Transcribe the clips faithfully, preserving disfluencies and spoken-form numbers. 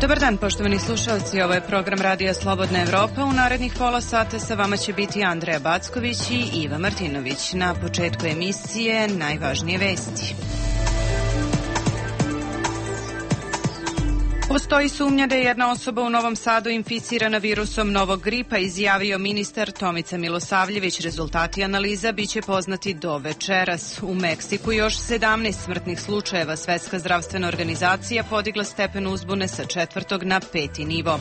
Dobar dan, poštovani slušalci, ovo je program Radija Slobodna Evropa. U narednih pola sata sa vama će biti Andreja Backović i Iva Martinović. Na početku emisije najvažnije vesti. Postoji sumnja da je jedna osoba u Novom Sadu inficirana virusom novog gripa, izjavio ministar Tomica Milosavljević. Rezultati analiza biće poznati do večeras. U Meksiku još sedamnaest smrtnih slučajeva. Svetska zdravstvena organizacija podigla stepen uzbune sa četvrtog na peti nivo.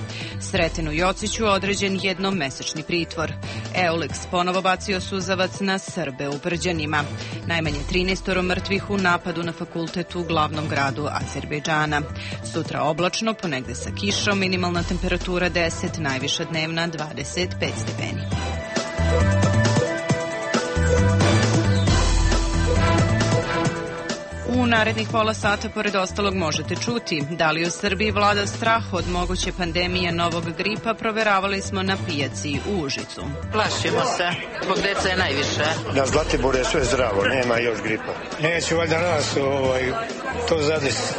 Sretenu Jociću određen jednomesečni pritvor. Eulex ponovo bacio suzavac na Srbe u Brđanima. Najmanje trinaest mrtvih u napadu na fakultet u glavnom gradu Azerbejdžana. Sutra oblačno, ponegde sa kišom, minimalna temperatura deset, najviša dnevna dvadeset pet stepeni. U narednih pola sata, pored ostalog, možete čuti da li u Srbiji vlada strah od moguće pandemije novog gripa. Proveravali smo na pijaci u Užicu. Plašimo se, zbog deca je najviše. Na Zlatiboru je sve zdravo, nema još gripa. Neće valjda nas ovaj, to zadesiti.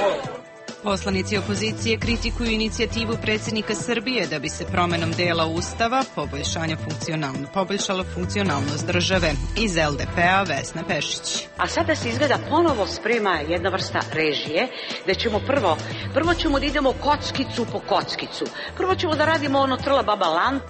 Poslanici opozicije kritikuju inicijativu predsjednika Srbije da bi se promenom dela Ustava poboljšanja funkcionalno, poboljšala funkcionalnost države. Iz el de pe-a Vesna Pešić. A sada se izgleda ponovo sprema jedna vrsta režije, da ćemo prvo, prvo ćemo da idemo kockicu po kockicu. Prvo ćemo da radimo ono trla baba lan.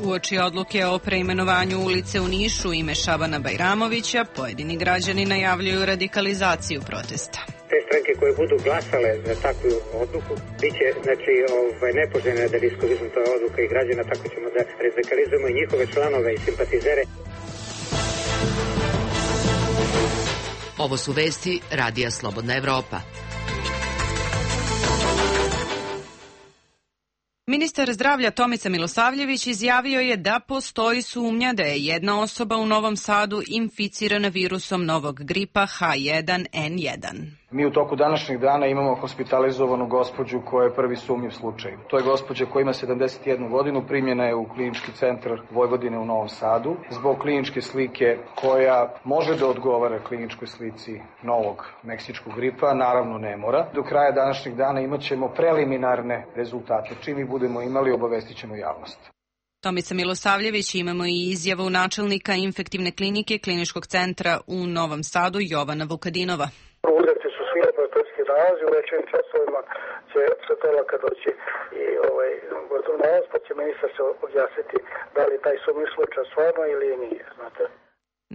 Uoči odluke o preimenovanju ulice u Nišu ime Šabana Bajramovića, pojedini građani najavljuju radikalizaciju protesta. Te stranke koje budu glasale za takvu odluku biće, znači, ovaj, nepoželjna da riskovizmu to odluka i građana, tako ćemo da radikalizujemo i njihove članove i simpatizere. Ovo su vesti Radija Slobodna Evropa. Ministar zdravlja Tomica Milosavljević izjavio je da postoji sumnja da je jedna osoba u Novom Sadu inficirana virusom novog gripa ha jedan en jedan. Mi u toku današnjeg dana imamo hospitalizovanu gospođu koja je prvi sumnjiv slučaj. To je gospođa koja ima sedamdeset jednu godinu, primljena je u klinički centar Vojvodine u Novom Sadu zbog kliničke slike koja može da odgovara kliničkoj slici novog meksičkog gripa, naravno ne mora. Do kraja današnjeg dana imat ćemo preliminarne rezultate. Čim ih budemo imali, obavestit ćemo javnost. Tomica Milosavljević, imamo i izjavu načelnika infektivne klinike kliničkog centra u Novom Sadu Jovana Vukadinova. Uzeti su svi laboratorijski nalazi, u večernjim časovima će se to laka doći i ovaj, gotov nalaz, pa će ministar se objasniti da li taj sumnjiv slučaj stvarno ili nije, znate.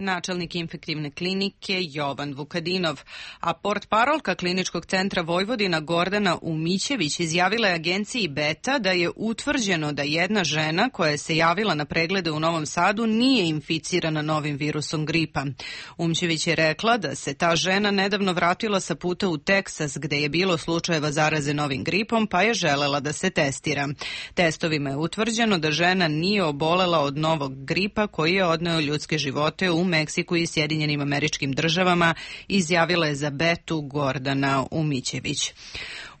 Načelnik infektivne klinike Jovan Vukadinov, a portparolka kliničkog centra Vojvodina Gordana Umićević izjavila je agenciji Beta da je utvrđeno da jedna žena koja se javila na preglede u Novom Sadu nije inficirana novim virusom gripa. Umćević je rekla da se ta žena nedavno vratila sa puta u Teksas gde je bilo slučajeva zaraze novim gripom, pa je želela da se testira. Testovima je utvrđeno da žena nije obolela od novog gripa koji je odneo ljudske živote u Meksiku i Sjedinjenim Američkim Državama, izjavila je za Betu Gordana Umićević.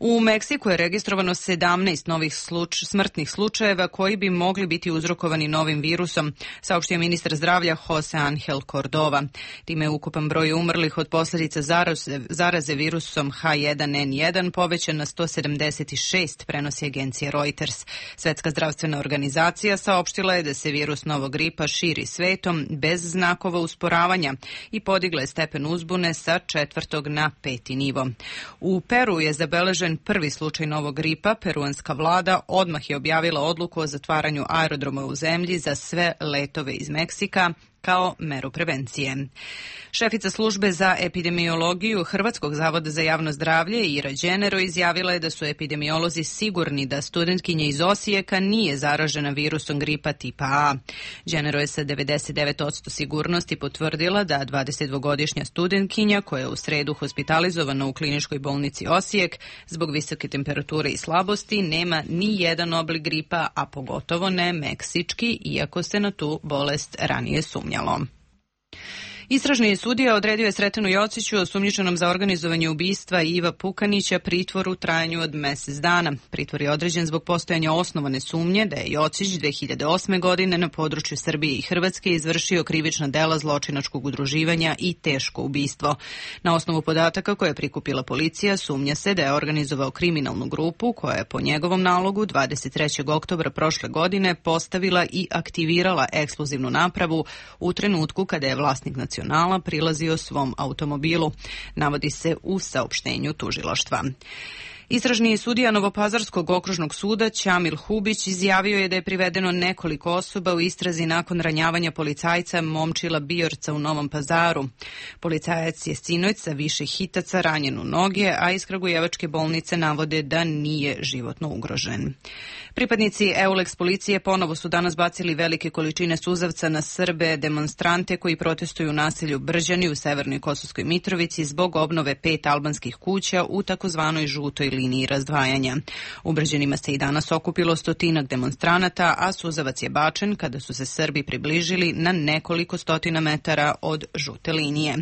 U Meksiku je registrovano sedamnaest novih sluč, smrtnih slučajeva koji bi mogli biti uzrokovani novim virusom, saopštio ministar zdravlja Jose Angel Cordova. Time je ukupan broj umrlih od posljedica zaraze, zaraze virusom ha jedan en jedan povećan na sto sedamdeset šest, prenosi agencija Reuters. Svetska zdravstvena organizacija saopštila je da se virus novog gripa širi svetom bez znakova usporavanja i podigla je stepen uzbune sa četvrtog na peti nivo. U Peru je zabeležen prvi slučaj novog gripa. Peruanska vlada odmah je objavila odluku o zatvaranju aerodroma u zemlji za sve letove iz Meksika kao meru prevencije. Šefica službe za epidemiologiju Hrvatskog zavoda za javno zdravlje Ira Đenero izjavila je da su epidemiolozi sigurni da studentkinja iz Osijeka nije zaražena virusom gripa tipa A. Đenero je sa devedeset devet posto sigurnosti potvrdila da dvadesetdvogodišnja studentkinja koja je u sredu hospitalizovana u kliničkoj bolnici Osijek zbog visoke temperature i slabosti nema ni jedan oblik gripa, a pogotovo ne meksički, iako se na tu bolest ranije sumnjalo. Istražni sudija odredio je Sretenu Jociću, osumnjičenom za organizovanje ubistva Iva Pukanića, pritvor u trajanju od mesec dana. Pritvor je određen zbog postojanja osnovane sumnje da je Jocić dve hiljade osme. godine na području Srbije i Hrvatske izvršio krivična dela zločinačkog udruživanja i teško ubistvo. Na osnovu podataka koje je prikupila policija, sumnja se da je organizovao kriminalnu grupu koja je po njegovom nalogu dvadeset trećeg oktobra prošle godine postavila i aktivirala eksplozivnu napravu u trenutku kada je vlasnik Nacionala prilazio svom automobilu, navodi se u saopštenju tužilaštva. Istražni sudija Novopazarskog okružnog suda Ćamil Hubić izjavio je da je privedeno nekoliko osoba u istrazi nakon ranjavanja policajca Momčila Bijorca u Novom Pazaru. Policajac je sinoć sa više hitaca ranjen u noge, a iz Kragujevačke bolnice navode da nije životno ugrožen. Pripadnici Euleks policije ponovo su danas bacili velike količine suzavca na Srbe demonstrante koji protestuju u naselju Brđani u severnoj Kosovskoj Mitrovici zbog obnove pet albanskih kuća u takozvanoj žutoj liniji razdvajanja. U Brđanima se i danas okupilo stotinak demonstranata, a suzavac je bačen kada su se Srbi približili na nekoliko stotina metara od žute linije.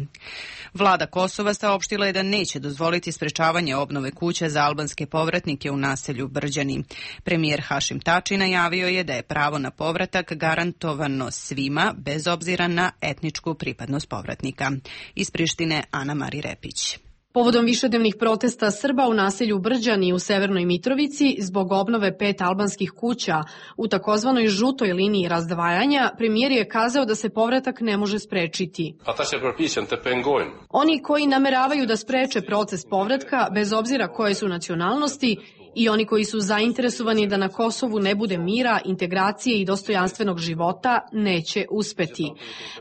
Vlada Kosova saopštila je da neće dozvoliti sprečavanje obnove kuća za albanske povratnike u naselju Brđani. Premijer Hašim Tači najavio je da je pravo na povratak garantovano svima, bez obzira na etničku pripadnost povratnika. Iz Prištine Ana Mari Repić. Povodom višednevnih protesta Srba u naselju Brđani u Severnoj Mitrovici zbog obnove pet albanskih kuća u takozvanoj žutoj liniji razdvajanja, premijer je kazao da se povratak ne može sprečiti. Oni koji nameravaju da spreče proces povratka, bez obzira koje su nacionalnosti, i oni koji su zainteresovani da na Kosovu ne bude mira, integracije i dostojanstvenog života, neće uspeti.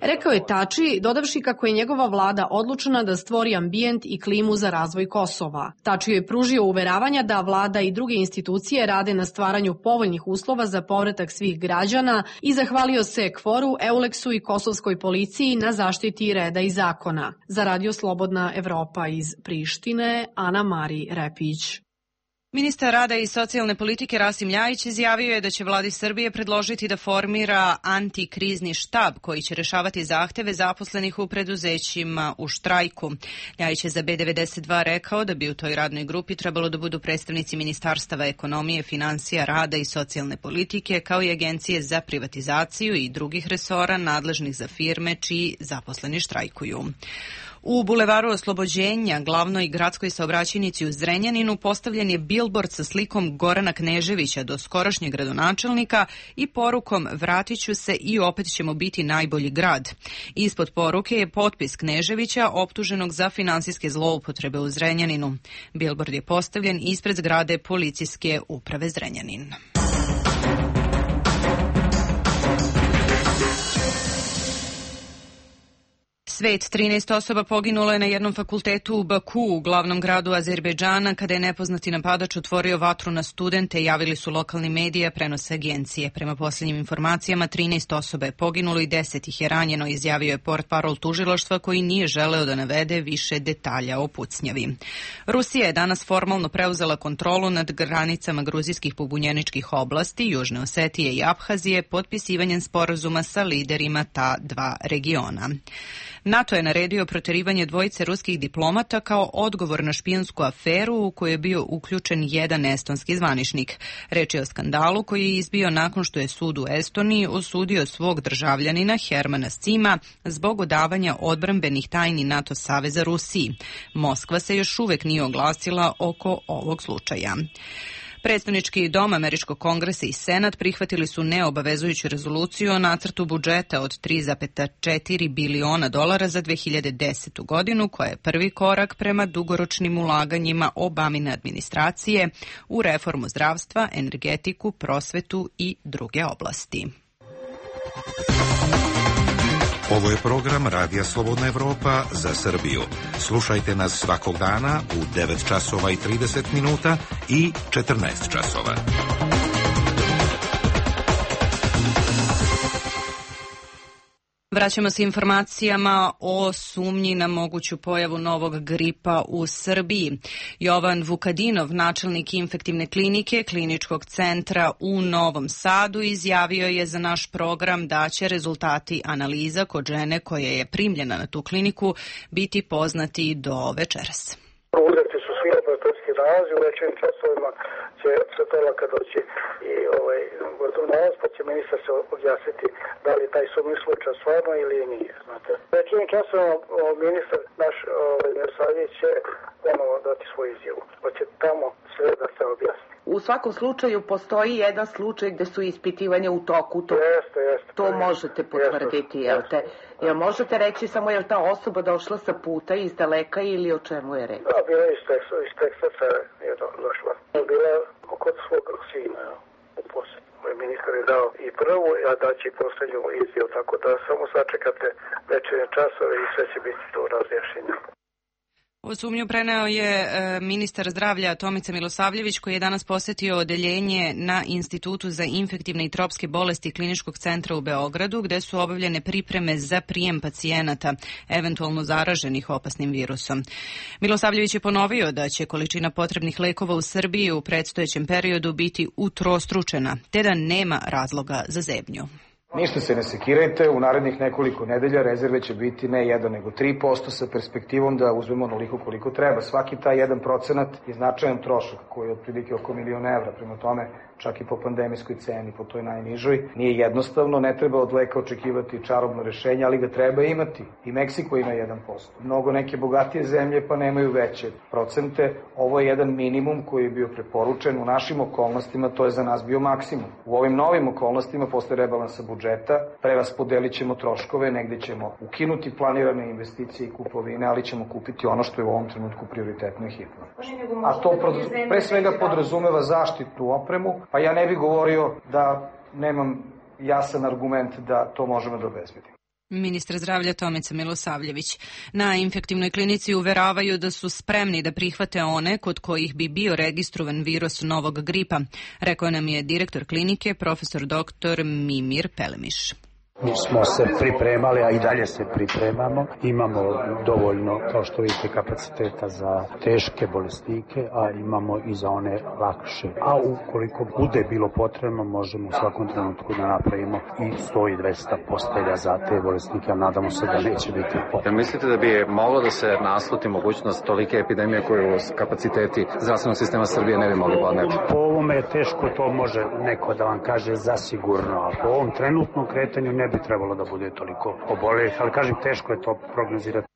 Rekao je Tači, dodavši kako je njegova vlada odlučena da stvori ambijent i klimu za razvoj Kosova. Tači je pružio uveravanja da vlada i druge institucije rade na stvaranju povoljnih uslova za povratak svih građana i zahvalio se Kforu, Euleksu i kosovskoj policiji na zaštiti reda i zakona. Za Radio Slobodna Evropa iz Prištine, Ana Mari Repić. Ministar rada i socijalne politike Rasim Ljajić izjavio je da će vladi Srbije predložiti da formira antikrizni štab koji će rešavati zahteve zaposlenih u preduzećima u štrajku. Ljajić je za B devedeset dva rekao da bi u toj radnoj grupi trebalo da budu predstavnici Ministarstava ekonomije, finansija, rada i socijalne politike, kao i Agencije za privatizaciju i drugih resora nadležnih za firme čiji zaposleni štrajkuju. U Bulevaru Oslobođenja, glavnoj gradskoj saobraćajnici u Zrenjaninu, postavljen je bilbord sa slikom Gorana Kneževića, do skorašnjeg gradonačelnika, i porukom "Vratit ću se i opet ćemo biti najbolji grad". Ispod poruke je potpis Kneževića, optuženog za finansijske zloupotrebe u Zrenjaninu. Bilbord je postavljen ispred zgrade policijske uprave Zrenjanin. Svet, trinaest osoba poginulo je na jednom fakultetu u Baku, glavnom gradu Azerbejdžana, kada je nepoznati napadač otvorio vatru na studente, javili su lokalni mediji, prenose agencije. Prema posljednjim informacijama, trinaest osoba je poginulo i deset ih je ranjeno, izjavio je portparol tužilaštva koji nije želeo da navede više detalja o pucnjavi. Rusija je danas formalno preuzela kontrolu nad granicama gruzijskih pobunjeničkih oblasti, Južne Osetije i Abhazije, potpisivanjem sporazuma sa liderima ta dva regiona. NATO je naredio proterivanje dvojice ruskih diplomata kao odgovor na špijunsku aferu u kojoj je bio uključen jedan estonski zvaničnik. Reč je o skandalu koji je izbio nakon što je sud u Estoniji osudio svog državljanina Hermana Sima zbog odavanja odbrambenih tajni NATO saveza Rusiji. Moskva se još uvek nije oglasila oko ovog slučaja. Predstavnički dom Američkog kongresa i Senat prihvatili su neobavezujuću rezoluciju o nacrtu budžeta od tri zarez četiri biliona dolara za dve hiljade desetu. godinu, koja je prvi korak prema dugoročnim ulaganjima Obamine administracije u reformu zdravstva, energetiku, prosvetu i druge oblasti. Ovo je program Radija Slobodna Evropa za Srbiju. Slušajte nas svakog dana u devet časova i trideset minuta i četrnaest časova. Vraćamo se informacijama o sumnji na moguću pojavu novog gripa u Srbiji. Jovan Vukadinov, načelnik infektivne klinike Kliničkog centra u Novom Sadu, izjavio je za naš program da će rezultati analiza kod žene koja je primljena na tu kliniku biti poznati do večeras. Uzeti su svi laboratorijski nalazi, u večernjim časovima će svetovalka doći i ovaj, gotov nalaz, pa će ministar se objasniti da li taj sumnjiv slučaj stvarno ili nije. Znate. U večernjim časovima ministar naš ovaj, Milosavljević će ponovo dati svoju izjavu, pa će tamo sve da se objasni. U svakom slučaju postoji jedan slučaj gde su ispitivanja u toku. To, jeste, jeste. To možete potvrditi, jel te? Jel možete reći samo je li ta osoba došla sa puta iz daleka ili o čemu je reč? Da, bila je iz Teksa, iz Teksaca je došla. Bila kod svog sina u posjetu. Ministar je dao i prvu, a daće i poslednju izjavu, tako da samo sačekate večernje časove i sve će biti to razjašnjenje. O sumnju preneo je ministar zdravlja Tomica Milosavljević, koji je danas posetio odeljenje na Institutu za infektivne i tropske bolesti Kliničkog centra u Beogradu, gde su obavljene pripreme za prijem pacijenata, eventualno zaraženih opasnim virusom. Milosavljević je ponovio da će količina potrebnih lekova u Srbiji u predstojećem periodu biti utrostručena, te da nema razloga za zebnju. Ništa se ne sekirajte, u narednih nekoliko nedelja rezerve će biti ne jedan nego tri posto sa perspektivom da uzmemo onoliko koliko treba. Svaki taj jedan procenat je značajan trošak koji je otprilike oko milion evra, prema tome čak i po pandemijskoj ceni, po toj najnižoj. Nije jednostavno, ne treba od leka očekivati čarobno rešenje, ali ga treba imati. I Meksiko ima jedan posto. Mnogo neke bogatije zemlje pa nemaju veće procente. Ovo je jedan minimum koji je bio preporučen. U našim okolnostima to je za nas bio maksimum. U ovim novim okolnostima posle rebalansa budžeta preraspodelit ćemo troškove, negde ćemo ukinuti planirane investicije i kupovine, ali ćemo kupiti ono što je u ovom trenutku prioritetno i hitno. A to pre svega podrazumeva zaštitnu opremu, pa ja ne bih govorio da nemam jasan argument da to možemo da obezbedimo. Ministar zdravlja Tomica Milosavljević. Na infektivnoj klinici uveravaju da su spremni da prihvate one kod kojih bi bio registrovan virus novog gripa, rekao nam je direktor klinike, profesor doktor Mimir Pelemiš. Mi smo se pripremali, a i dalje se pripremamo. Imamo dovoljno, kao što vidite, kapaciteta za teške bolesnike, a imamo i za one lakše. A ukoliko bude bilo potrebno, možemo u svakom trenutku da napravimo i sto i dvesta postelja za te bolesnike, a nadamo se da neće biti potrebno. Mislite da bi moglo da se nasluti mogućnost tolike epidemije koju kapaciteti zdravstvenog sistema Srbije ne bi mogli podneti? Po ovome je teško, to može neko da vam kaže zasigurno, a po ovom trenutnom kretanju ne bi trebalo da bude toliko obolelih, ali kažem, teško je to prognozirati.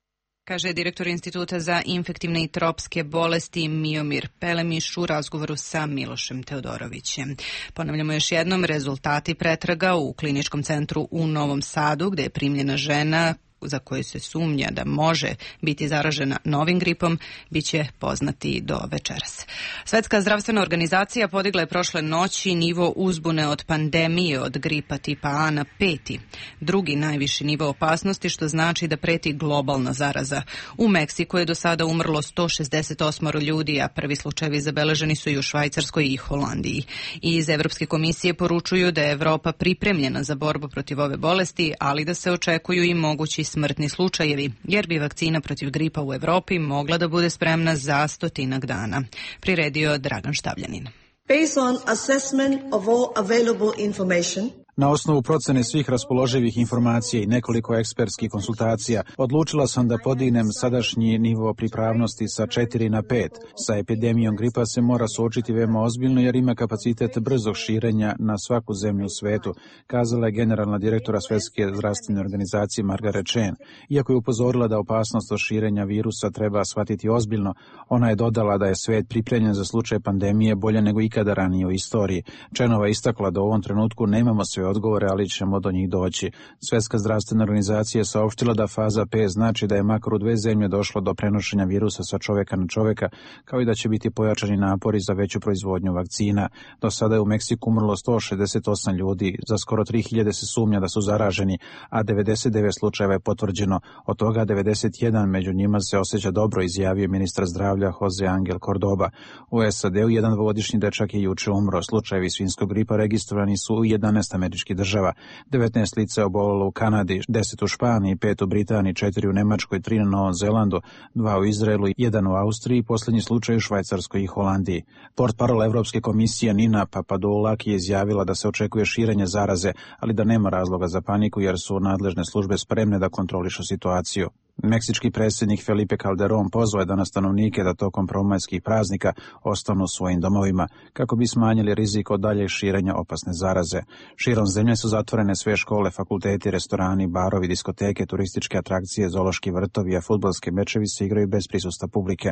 Kaže direktor Instituta za infektivne i tropske bolesti Miomir Pelemiš u razgovoru sa Milošem Teodorovićem. Ponavljamo još jednom, rezultati pretraga u Kliničkom centru u Novom Sadu, gde je primljena žena za koju se sumnja da može biti zaražena novim gripom, bit će poznati do večeras. Svetska zdravstvena organizacija podigla je prošle noći nivo uzbune od pandemije od gripa tipa A na peti, drugi najviši nivo opasnosti, što znači da preti globalna zaraza. U Meksiku je do sada umrlo sto šezdeset osam ljudi, a prvi slučajevi zabeleženi su i u Švajcarskoj i Holandiji. I iz Evropske komisije poručuju da je Evropa pripremljena za borbu protiv ove bolesti, ali da se očekuju i mogući smrtni slučajevi, jer bi vakcina protiv gripa u Evropi mogla da bude spremna za stotinak dana. Priredio Dragan Štavljanin. Based on assessment of all available information, na osnovu procene svih raspoloživih informacija i nekoliko ekspertskih konsultacija, odlučila sam da podignem sadašnji nivo pripravnosti sa četiri na pet. Sa epidemijom gripa se mora suočiti veoma ozbiljno jer ima kapacitet brzog širenja na svaku zemlju u svetu, kazala je generalna direktora Svetske zdravstvene organizacije Margaret Chan. Iako je upozorila da opasnost od širenja virusa treba shvatiti ozbiljno, ona je dodala da je svet pripremljen za slučaj pandemije bolje nego ikada ranije u istoriji. Chanova istakla da u ovom trenutku nemamo sve odgovore, ali ćemo do njih doći. Svetska zdravstvena organizacija je saopštila da faza P znači da je makar u dve zemlje došlo do prenošenja virusa sa čoveka na čoveka, kao i da će biti pojačani napori za veću proizvodnju vakcina. Do sada je u Meksiku umrlo sto šezdeset osam ljudi, za skoro tri hiljade se sumnja da su zaraženi, a devedeset devet slučajeva je potvrđeno. Od toga devedeset jedan među njima se osjeća dobro, izjavio ministar zdravlja Jose Angel Cordoba. U S A D-u jedan dvogodišnji dečak je juče umro. Slučajevi svinjskog gripa registrovani su u jedanaest američkih američkih država. devetnaest lica je obolelo u Kanadi, deset u Španiji, pet u Britaniji, četiri u Nemačkoj, tri na Novom Zelandu, dva u Izraelu, jedan u Austriji i posljednji slučaj u Švajcarskoj i Holandiji. Portparol Evropske komisije Nina Papadoulaki je izjavila da se očekuje širenje zaraze, ali da nema razloga za paniku jer su nadležne službe spremne da kontrolišu situaciju. Meksički predsjednik Felipe Calderón pozvao je danas stanovnike da tokom prvomajskih praznika ostanu u svojim domovima kako bi smanjili rizik od daljeg širenja opasne zaraze. Širom zemlje su zatvorene sve škole, fakulteti, restorani, barovi, diskoteke, turističke atrakcije, zoološki vrtovi, a fudbalske mečevi se igraju bez prisustva publike.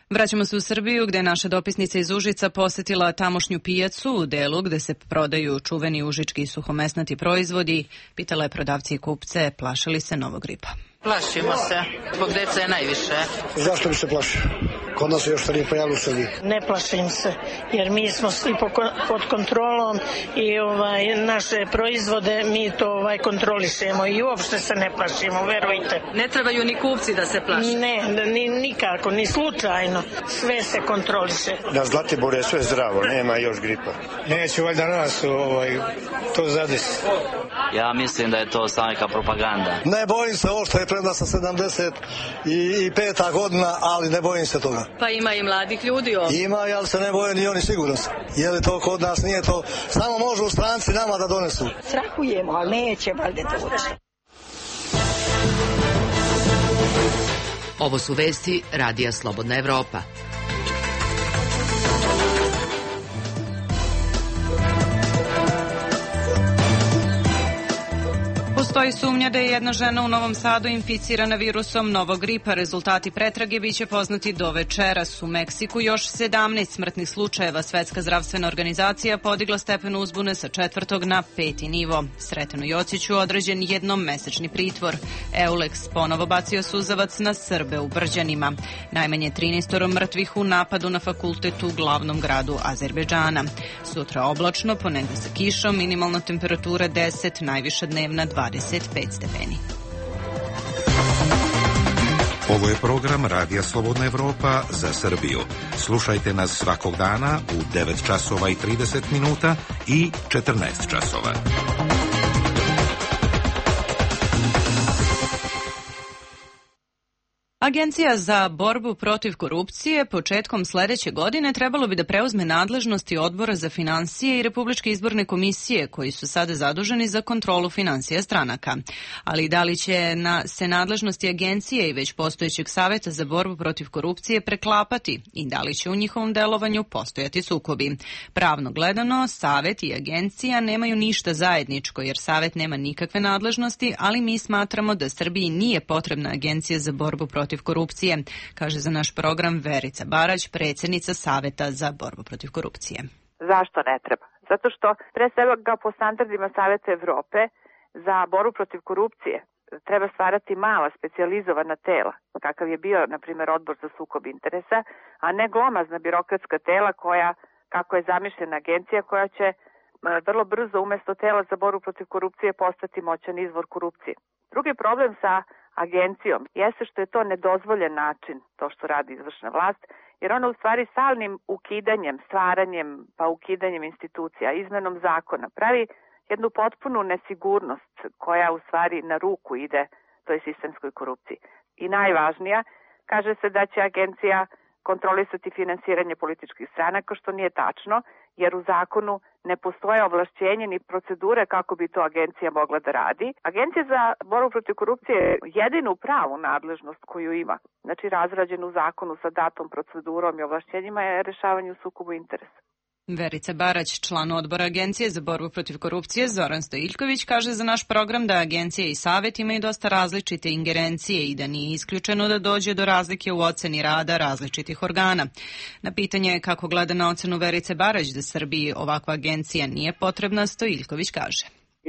Vraćamo se u Srbiju gde je naša dopisnica iz Užica posetila tamošnju pijacu u delu gde se prodaju čuveni užički i suhomesnati proizvodi. Pitala je prodavci i kupce plaše li se novog gripa. Plašimo se, zbog dece je najviše. Zašto bi se plašio? Kod nas se još to nije pojavilo u Srbiji. Ne plašim se, jer mi smo svi pod kontrolom i ovaj, naše proizvode mi to ovaj, kontrolišemo i uopšte se ne plašimo, verujte. Ne trebaju ni kupci da se plaše? Ne, ni, nikako, ni slučajno. Sve se kontroliše. Na Zlatiboru je sve zdravo, nema još gripa. Neće valjda nas ovaj, to zadesi. Ja mislim da je to samo neka propaganda. Ne bojim se, ovo što je premda sam sedamdeset peta godina, ali ne bojim se toga. Pa ima i mladih ljudi ovdje. Ima, ali se ne boje ni oni sigurno. Je li to kod nas, nije to. Samo može u stranci nama da donesu. Strahujemo, ali neće valjda doći. Ovo su vesti Radija Slobodna Evropa. Postoji sumnja da je jedna žena u Novom Sadu inficirana virusom novog gripa. Rezultati pretrage biće poznati do večeras. U Meksiku još sedamnaest smrtnih slučajeva. Svetska zdravstvena organizacija podigla stepen uzbune sa četvrtog na peti nivo. Sretenu Jociću određen jednom mesečni pritvor. Eulex ponovo bacio suzavac na Srbe u Brđanima. Najmanje trinaest mrtvih u napadu na fakultet u glavnom gradu Azerbejdžana. Sutra oblačno, ponegde sa kišom, minimalna temperatura deset, najviša dnevna dvadeset pet stepeni. Ovo je program Radija Slobodna Evropa za Srbiju. Slušajte nas svakog dana u devet časova i trideset minuta i četrnaest časova. Agencija za borbu protiv korupcije početkom sledeće godine trebalo bi da preuzme nadležnosti Odbora za finansije i Republičke izborne komisije, koji su sada zaduženi za kontrolu finansija stranaka. Ali da li će na, se nadležnosti agencije i već postojećeg Saveta za borbu protiv korupcije preklapati i da li će u njihovom delovanju postojati sukobi? Pravno gledano, Savet i agencija nemaju ništa zajedničko, jer Savet nema nikakve nadležnosti, ali mi smatramo da Srbiji nije potrebna agencija za borbu protiv korupcije, kaže za naš program Verica Barać, predsjednica Saveta za borbu protiv korupcije. Zašto ne treba? Zato što pre svega po standardima Saveta Evrope za borbu protiv korupcije treba stvarati mala specijalizovana tela, kakav je bio, na primjer, Odbor za sukob interesa, a ne glomazna birokratska tela koja, kako je zamišljena agencija, koja će vrlo brzo umjesto tela za borbu protiv korupcije postati moćan izvor korupcije. Drugi problem sa agencijom jeste što je to nedozvoljen način, to što radi izvršna vlast, jer ona u stvari stalnim ukidanjem, stvaranjem pa ukidanjem institucija, izmenom zakona pravi jednu potpunu nesigurnost koja u stvari na ruku ide toj sistemskoj korupciji. I najvažnija, kaže se da će agencija kontrolisati finansiranje političkih stranaka, što nije tačno, jer u zakonu ne postoje ovlašćenje ni procedure kako bi to agencija mogla da radi. Agencija za borbu protiv korupcije je jedinu pravu nadležnost koju ima, znači razrađenu u zakonu sa datom, procedurom i ovlašćenjima, je rešavanje u sukobu interesa. Verica Barać, član odbora Agencije za borbu protiv korupcije, Zoran Stojiljković, kaže za naš program da agencija i Savet imaju dosta različite ingerencije i da nije isključeno da dođe do razlike u oceni rada različitih organa. Na pitanje kako gleda na ocenu Verice Barać da Srbiji ovakva agencija nije potrebna, Stojiljković kaže.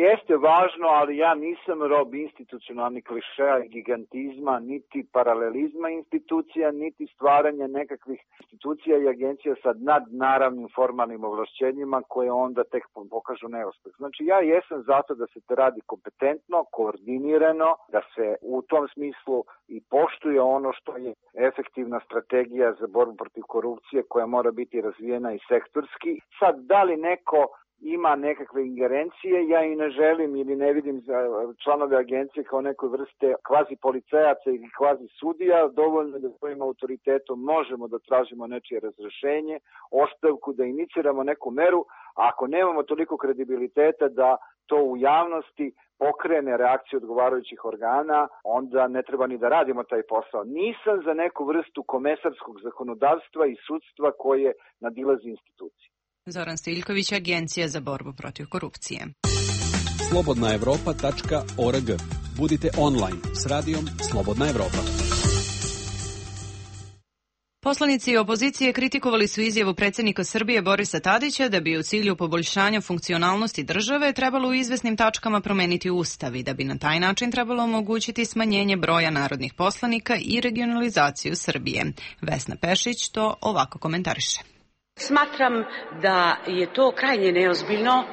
Jeste važno, ali ja nisam rob institucionalnih klišeja i gigantizma, niti paralelizma institucija, niti stvaranja nekakvih institucija i agencija sa nadnaravnim formalnim ovlašćenjima koje onda tek pokažu neuspeh. Znači ja jesam zato da se to radi kompetentno, koordinirano, da se u tom smislu i poštuje ono što je efektivna strategija za borbu protiv korupcije koja mora biti razvijena i sektorski. Sad, da li neko ima nekakve ingerencije, ja i ne želim ili ne vidim za članove agencije kao nekoj vrste kvazi policajaca ili kvazi sudija, dovoljno da svojim autoritetom možemo da tražimo nečije razrešenje, ostavku, da iniciramo neku meru, a ako nemamo toliko kredibiliteta da to u javnosti pokrene reakciju odgovarajućih organa, onda ne treba ni da radimo taj posao. Nisam za neku vrstu komesarskog zakonodavstva i sudstva koje nadilazi institucije. Zoran Stiljković, Agencija za borbu protiv korupcije. slobodna evropa tačka org. Budite online s radijom Slobodna Evropa. Poslanici opozicije kritikovali su izjavu predsjednika Srbije Borisa Tadića da bi u cilju poboljšanja funkcionalnosti države trebalo u izvesnim tačkama promeniti ustav i da bi na taj način trebalo omogućiti smanjenje broja narodnih poslanika i regionalizaciju Srbije. Vesna Pešić to ovako komentariše. Smatram da je to krajnje neozbiljno,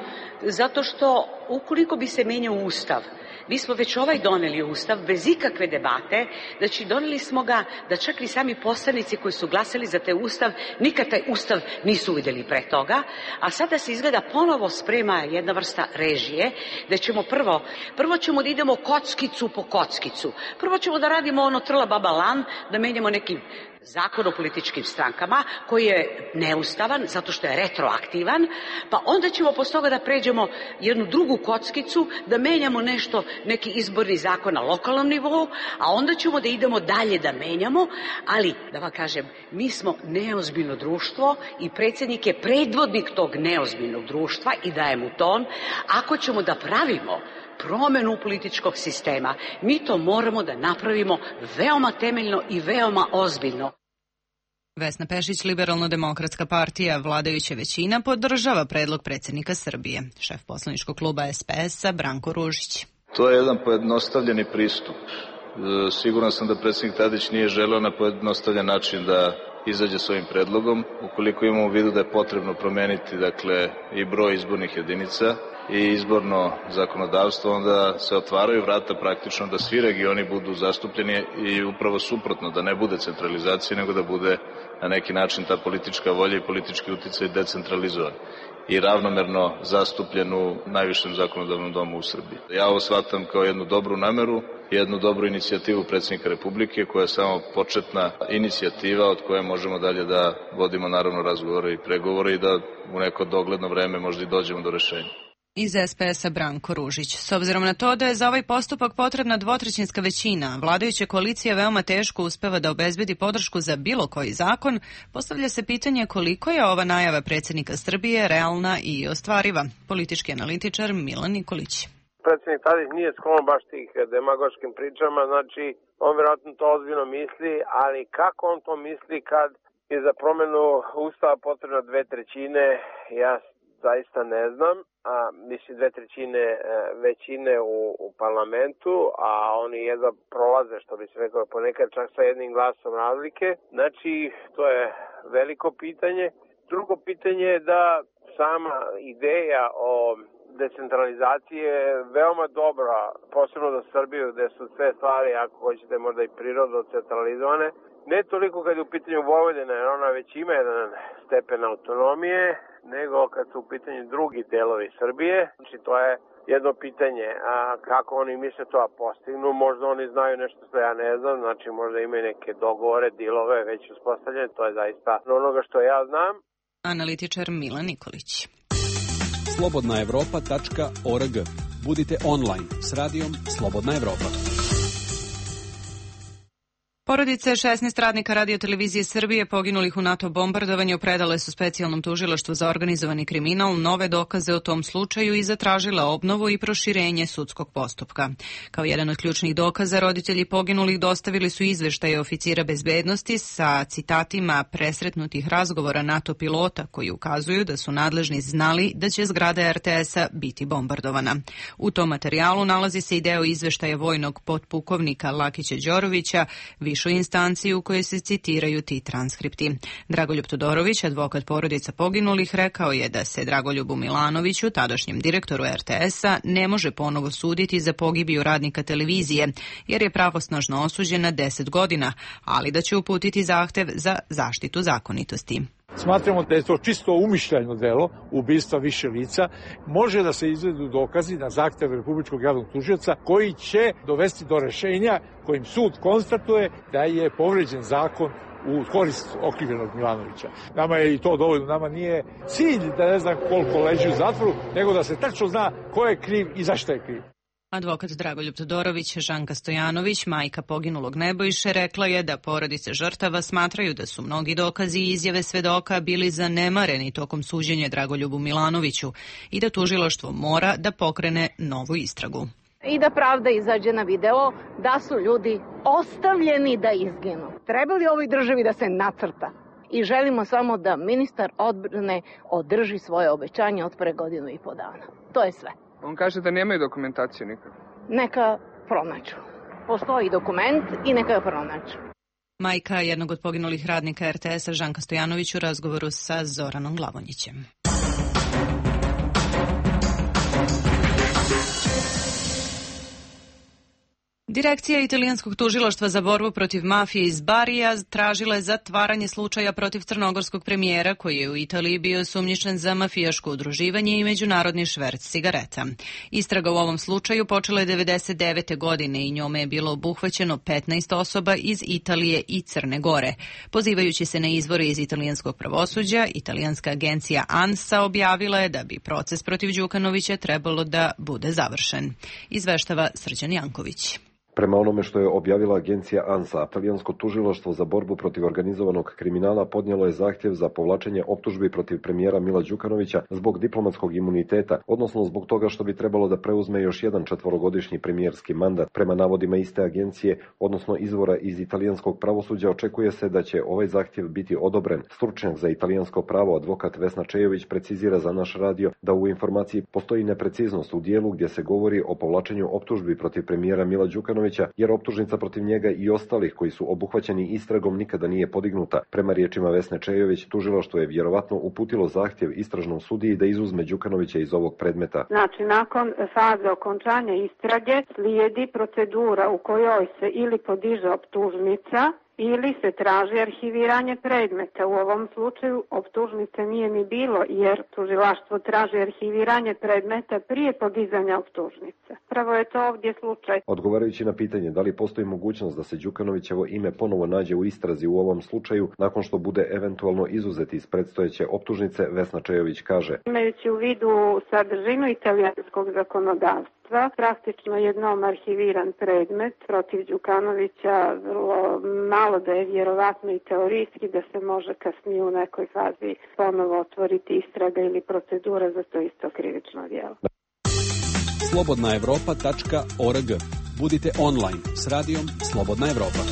zato što ukoliko bi se menjao ustav, mi smo već ovaj doneli ustav bez ikakve debate, znači doneli smo ga da čak i sami poslanici koji su glasali za taj ustav nikad taj ustav nisu vidjeli pre toga, a sada se izgleda ponovo sprema jedna vrsta režije, da ćemo prvo, prvo ćemo da idemo kockicu po kockicu, prvo ćemo da radimo ono trla baba lan, da menjamo neki zakon o političkim strankama koji je neustavan zato što je retroaktivan, pa onda ćemo posle toga da pređemo jednu drugu kockicu, da menjamo nešto, neki izborni zakon na lokalnom nivou, a onda ćemo da idemo dalje da menjamo, ali da vam kažem, mi smo neozbiljno društvo i predsjednik je predvodnik tog neozbiljnog društva i daje mu ton. Ako ćemo da pravimo promenu političkog sistema, mi to moramo da napravimo veoma temeljno i veoma ozbiljno. Vesna Pešić, Liberalno-demokratska partija, vladajuća većina, podržava predlog predsjednika Srbije. Šef poslaničkog kluba S P S-a Branko Ružić. To je jedan pojednostavljeni pristup. Siguran sam da predsjednik Tadić nije želeo na pojednostavljen način da izađe s ovim predlogom. Ukoliko imamo u vidu da je potrebno promeniti, dakle, i broj izbornih jedinica i izborno zakonodavstvo, onda se otvaraju vrata praktično da svi regioni budu zastupljeni i upravo suprotno, da ne bude centralizacije, nego da bude na neki način ta politička volja i politički uticaj decentralizovan i ravnomerno zastupljen u najvišem zakonodavnom domu u Srbiji. Ja ovo shvatam kao jednu dobru nameru, jednu dobru inicijativu predsjednika Republike, koja je samo početna inicijativa od koje možemo dalje da vodimo naravno razgovore i pregovore i da u neko dogledno vreme možda i dođemo do rešenja. Iz S P S-a Branko Ružić. S obzirom na to da je za ovaj postupak potrebna dvotrećinska većina, vladajuća koalicija veoma teško uspeva da obezbedi podršku za bilo koji zakon, postavlja se pitanje koliko je ova najava predsjednika Srbije realna i ostvariva. Politički analitičar Milan Nikolić. Predsjednik Tadić nije sklon baš tih demagoškim pričama, znači on vjerojatno to ozbiljno misli, ali kako on to misli kad je za promjenu ustava potrebno dve trećine, ja zaista ne znam, a mislim dve trećine većine u, u parlamentu, a oni jedva prolaze, što bi se rekao, ponekad čak sa jednim glasom razlike. Znači, to je veliko pitanje. Drugo pitanje je da sama ideja o decentralizaciji je veoma dobra, posebno za Srbiju, gde su sve stvari, ako hoćete, možda i prirodno centralizovane. Ne toliko kad je u pitanju Vojvodina, jer ona već ima jedan stepen autonomije, nego kad su u pitanju drugi delovi Srbije. Znači, to je jedno pitanje, a kako oni misle to da postignu, možda oni znaju nešto što ja ne znam, znači možda imaju neke dogovore, dilove već uspostavljene, to je zaista onoga što ja znam. Analitičar Milan Nikolić. slobodna evropa tačka org. Budite online s radijom Slobodna Evropa. Porodice šesnaest radnika radiotelevizije Srbije poginulih u NATO bombardovanju predale su specijalnom tužilaštvu za organizovani kriminal nove dokaze o tom slučaju i zatražile obnovu i proširenje sudskog postupka. Kao jedan od ključnih dokaza, roditelji poginulih dostavili su izveštaje oficira bezbednosti sa citatima presretnutih razgovora NATO pilota koji ukazuju da su nadležni znali da će zgrada R T S-a biti bombardovana. U tom materijalu nalazi se i deo izveštaja vojnog potpukovnika Lakića Đorovića, višu instanciju u kojoj se citiraju ti transkripti. Dragoljub Todorović, advokat porodica poginulih, rekao je da se Dragoljubu Milanoviću, tadašnjem direktoru R T S-a, ne može ponovo suditi za pogibiju radnika televizije, jer je pravosnažno osuđen na deset godina, ali da će uputiti zahtev za zaštitu zakonitosti. Smatramo da je to čisto umišljajno delo ubistva više lica. Može da se izvedu dokazi na zahtev Republičkog javnog tužioca koji će dovesti do rešenja kojim sud konstatuje da je povređen zakon u korist okrivljenog Milanovića. Nama je i to dovoljno. Nama nije cilj da ne znam koliko leži u zatvoru, nego da se tačno zna ko je kriv i zašto je kriv. Advokat Dragoljub Todorović, Žanka Stojanović, majka poginulog Nebojše, rekla je da porodice žrtava smatraju da su mnogi dokazi i izjave svedoka bili zanemareni tokom suđenja Dragoljubu Milanoviću i da tužilaštvo mora da pokrene novu istragu. I da pravda izađe na video da su ljudi ostavljeni da izginu. Treba li ovoj državi da se nacrta? I želimo samo da ministar odbrane održi svoje obećanje od pre godinu i po dana. To je sve. On kaže da nemaju dokumentaciju nikad. Neka pronađu. Postoji dokument i neka ga pronađu. Majka jednog od poginulih radnika er te es-a Žanka Stojanović u razgovoru sa Zoranom Glavonjićem. Direkcija italijanskog tužilaštva za borbu protiv mafije iz Barija tražila je zatvaranje slučaja protiv crnogorskog premijera koji je u Italiji bio sumnjičen za mafijaško udruživanje i međunarodni šverc cigareta. Istraga u ovom slučaju počela je devedeset devete. godine i njome je bilo obuhvaćeno petnaest osoba iz Italije i Crne Gore. Pozivajući se na izvore iz italijanskog pravosuđa, italijanska agencija ANSA objavila je da bi proces protiv Đukanovića trebalo da bude završen. Izveštava Srđan Janković. Prema onome što je objavila agencija ANSA, Italijansko tužilaštvo za borbu protiv organizovanog kriminala podnijelo je zahtjev za povlačenje optužbi protiv premijera Mila Đukanovića zbog diplomatskog imuniteta, odnosno zbog toga što bi trebalo da preuzme još jedan četvorogodišnji premijerski mandat. Prema navodima iste agencije, odnosno izvora iz italijanskog pravosuđa, očekuje se da će ovaj zahtjev biti odobren. Stručnjak za italijansko pravo, advokat Vesna Čejović, precizira za naš radio da u informaciji postoji nepreciznost u dijelu gdje se govori o povlačenju optužbi protiv premijera Mila Đukanovića, jer optužnica protiv njega i ostalih koji su obuhvaćeni istragom nikada nije podignuta. Prema riječima Vesne Čejović, tužilaštvo je vjerovatno uputilo zahtjev istražnom sudiji da izuzme Đukanovića iz ovog predmeta. Znači, nakon faze okončanja istrage slijedi procedura u kojoj se ili podiže optužnica ili se traži arhiviranje predmeta. U ovom slučaju optužnice nije ni bilo jer tužilaštvo traži arhiviranje predmeta prije podizanja optužnice. Pravo je to ovdje slučaj. Odgovarajući na pitanje da li postoji mogućnost da se Đukanovićevo ime ponovo nađe u istrazi u ovom slučaju nakon što bude eventualno izuzet iz predstojeće optužnice, Vesna Čejović kaže: Imajući u vidu sadržinu italijanskog zakonodavstva, praktično jednom arhiviran predmet protiv Đukanovića, vrlo malo da je vjerovatno i teorijski da se može kasnije u nekoj fazi ponovo otvoriti istraga ili procedura za to isto krivično djelo. slobodna evropa tačka org. Budite online s radijom Slobodna Evropa.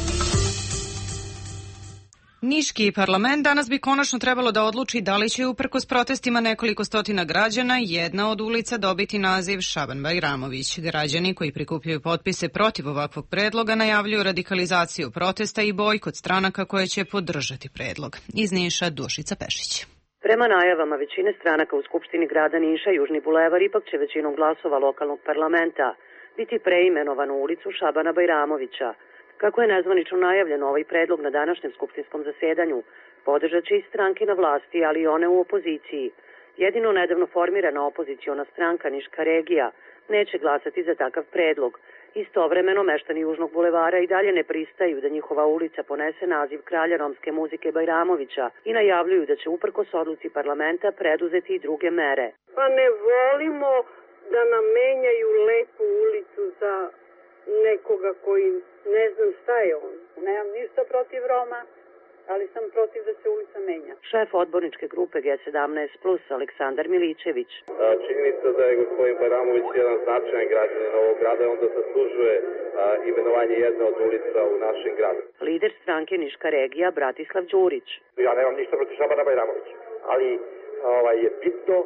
Niški parlament danas bi konačno trebalo da odluči da li će uprkos protestima nekoliko stotina građana jedna od ulica dobiti naziv Šaban Bajramović. Građani koji prikupljaju potpise protiv ovakvog predloga najavljuju radikalizaciju protesta i bojkot stranaka koje će podržati predlog. Iz Niša Dušica Pešić. Prema najavama većine stranaka u Skupštini grada Niša, Južni bulevar ipak će većinom glasova lokalnog parlamenta biti preimenovan u ulicu Šabana Bajramovića. Kako je nezvanično najavljeno ovaj predlog na današnjem skupštinskom zasedanju, podržat će i stranke na vlasti, ali i one u opoziciji. Jedino nedavno formirana opoziciona stranka Niška regija neće glasati za takav predlog. Istovremeno, meštani Južnog bulevara i dalje ne pristaju da njihova ulica ponese naziv kralja romske muzike Bajramovića i najavljuju da će uprkos odluci parlamenta preduzeti i druge mere. Pa ne volimo da nam menjaju lepu ulicu za nekoga koji ne znam šta je on. Nemam ništa protiv Roma, ali sam protiv da se ulica menja. Šef odborničke grupe G sedamnaest plus Aleksandar Miličević. Činjenica da je gospodin Bajramović jedan značajan građanin ovog grada, onda zaslužuje a, imenovanje jedne od ulica u našem gradu. Lider stranke Niška regija Bratislav Đurić. Ja nemam ništa protiv Šabana Bajramovića, ali ovaj, je bitno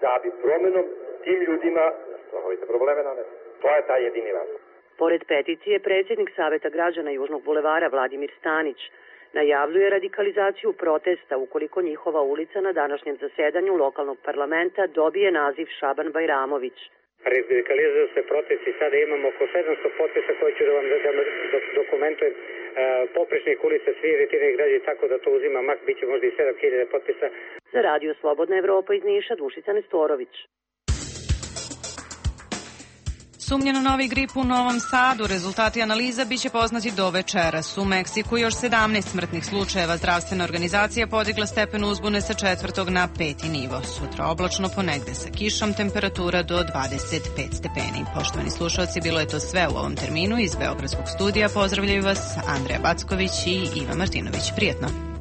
da bi promenom tim ljudima stvarnovite probleme nanesli. To je taj jedini razlog. Pored peticije, predsjednik Saveta građana Južnog bulevara Vladimir Stanić najavljuje radikalizaciju protesta ukoliko njihova ulica na današnjem zasedanju lokalnog parlamenta dobije naziv Šaban Bajramović. Radikalizuju se protesti, sada imamo oko sedamsto potpisa koji ću da vam da, da dokumentujem. E, poprečnih ulica, svi iritirani građani, tako da to uzima mak, bit će možda i sedam hiljada potpisa. Za Radio Slobodna Evropa iz Niša, Dušica Nestorović. Sumnje na novi grip u Novom Sadu. Rezultati analiza biće poznati do večeras. U Meksiku još sedamnaest smrtnih slučajeva. Zdravstvena organizacija podigla stepen uzbune sa četvrtog na peti nivo. Sutra oblačno, ponegde sa kišom, temperatura do dvadeset pet stepeni. Poštovani slušalci, bilo je to sve u ovom terminu. Iz Beogradskog studija pozdravljaju vas Andreja Backović i Iva Martinović. Prijetno.